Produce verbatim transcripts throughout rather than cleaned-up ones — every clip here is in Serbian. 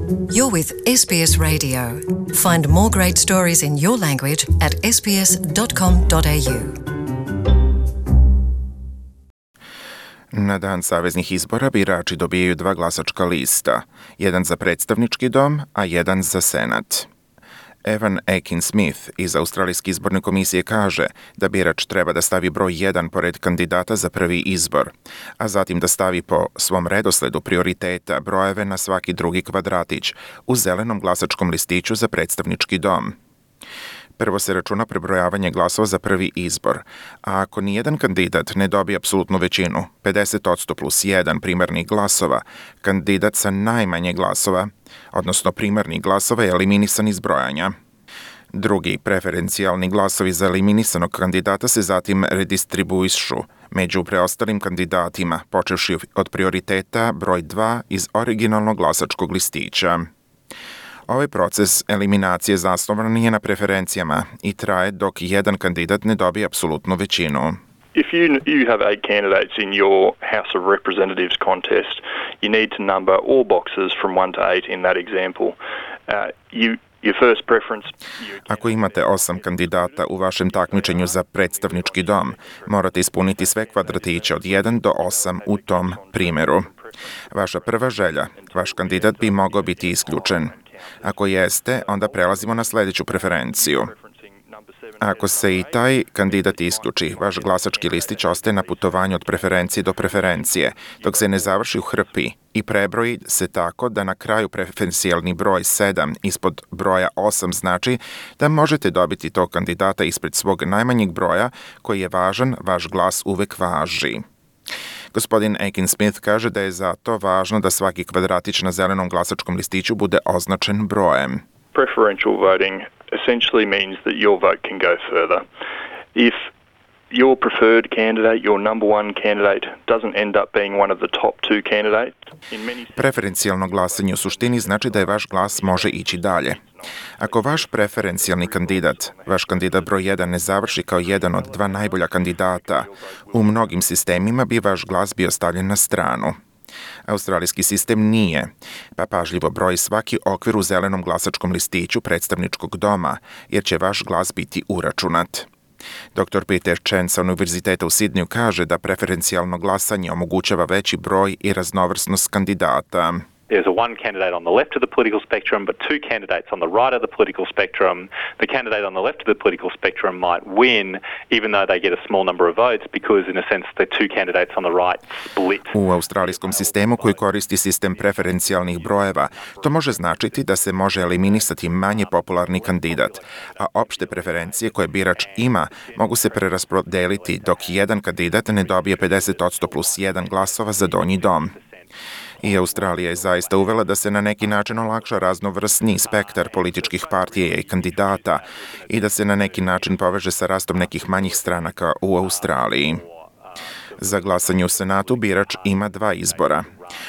You're with S B S Radio. Find more great stories in your language at s b s dot com dot a u. Na dan saveznih izbora birači dobijaju dva glasačka lista, jedan za predstavnički dom, a jedan za senat. Evan Akin-Smith iz Australijske izborne komisije kaže da birač treba da stavi broj jedan pored kandidata za prvi izbor, a zatim da stavi po svom redosledu prioriteta brojeve na svaki drugi kvadratić u zelenom glasačkom listiću za predstavnički dom. Prvo se računa prebrojavanje glasova za prvi izbor, a ako nijedan kandidat ne dobije apsolutnu većinu, pedeset posto plus jedan primarnih glasova, kandidat sa najmanje glasova, odnosno primarnih glasova, je eliminisan iz brojanja. Drugi preferencijalni glasovi za eliminisanog kandidata se zatim redistribuišu među preostalim kandidatima, počevši od prioriteta broj dva iz originalnog glasačkog listića. Ovaj proces eliminacije zasnovan je na preferencijama i traje dok jedan kandidat ne dobije apsolutnu većinu. If you you have eight candidates in your House of Representatives contest, you need to number all boxes from one to eight in that example. Uh, you Your first preference. Ako imate osam kandidata u vašem takmičenju za predstavnički dom, morate ispuniti sve kvadratiće od jedan do osam u tom primeru. Vaša prva želja, vaš kandidat bi mogao biti isključen. Ako jeste, onda prelazimo na sljedeću preferenciju. Ako se i taj kandidat isključi, vaš glasački listić ostaje na putovanju od preferencije do preferencije, dok se ne završi u hrpi i prebroji se tako da na kraju preferencijalni broj sedam ispod broja osam znači da možete dobiti tog kandidata ispred svog najmanjeg broja koji je važan, vaš glas uvek važi. Gospodin Akin-Smith kaže da je zato važno da svaki kvadratić na zelenom glasačkom listiću bude označen brojem. Preferential voting essentially means that your vote can go further. If your preferred candidate, your number one candidate, doesn't end up being one of the top two candidates. Preferencijalno glasanje u suštini znači da je vaš glas može ići dalje. Ako vaš preferencijalni kandidat, vaš kandidat broj jedan ne završi kao jedan od dva najbolja kandidata, u mnogim sistemima bi vaš glas bio stavljen na stranu. Australijski sistem nije, pa pažljivo broji svaki okvir u zelenom glasačkom listiću predstavničkog doma, jer će vaš glas biti uračunat. doktor Peter Chen sa Univerziteta u Sidneju kaže da preferencijalno glasanje omogućava veći broj i raznovrsnost kandidata. There's a one candidate on the left of the political spectrum, but two candidates on the right of the political spectrum. The candidate on the left of the political spectrum might win, even though they get a small number of votes, because in a sense the two candidates on the right split. U australijskom sistemu koji koristi sistem preferencijalnih brojeva, to može značiti da se može eliminisati manje popularni kandidat, a opšte preferencije koje birač ima mogu se preraspodeliti dok jedan kandidat ne dobije pedeset posto plus jedan glasova za donji dom. I Australija je zaista uvela da se na neki način olakša raznovrsni spektar političkih partija i kandidata i da se na neki način poveže sa rastom nekih manjih stranaka u Australiji. Za glasanje u Senatu birač ima dva izbora.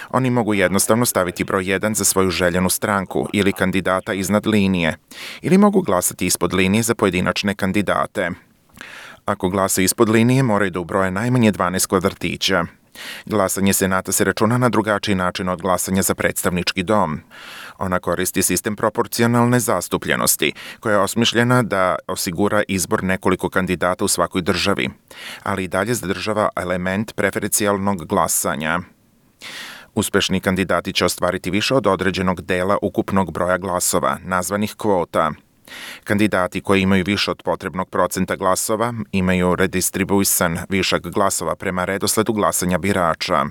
Oni mogu jednostavno staviti broj jedan za svoju željenu stranku ili kandidata iznad linije, ili mogu glasati ispod linije za pojedinačne kandidate. Ako glasa ispod linije, moraju da ubroje najmanje dvanaest kvadratića. Glasanje Senata se računa na drugačiji način od glasanja za predstavnički dom. Ona koristi sistem proporcionalne zastupljenosti, koja je osmišljena da osigura izbor nekoliko kandidata u svakoj državi, ali i dalje zadržava element preferencijalnog glasanja. Uspešni kandidati će ostvariti više od određenog dela ukupnog broja glasova, nazvanih kvota. Kandidati koji imaju više od potrebnog procenta glasova imaju redistribuisan višak glasova prema redosledu glasanja birača.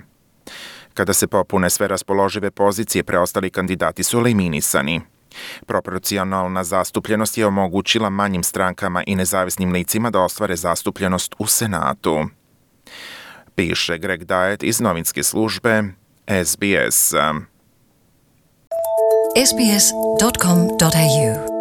Kada se popune sve raspoložive pozicije, preostali kandidati su eliminisani. Proporcionalna zastupljenost je omogućila manjim strankama i nezavisnim licima da ostvare zastupljenost u Senatu. Piše Greg Diet iz novinske službe S B S. s b s dot com dot a u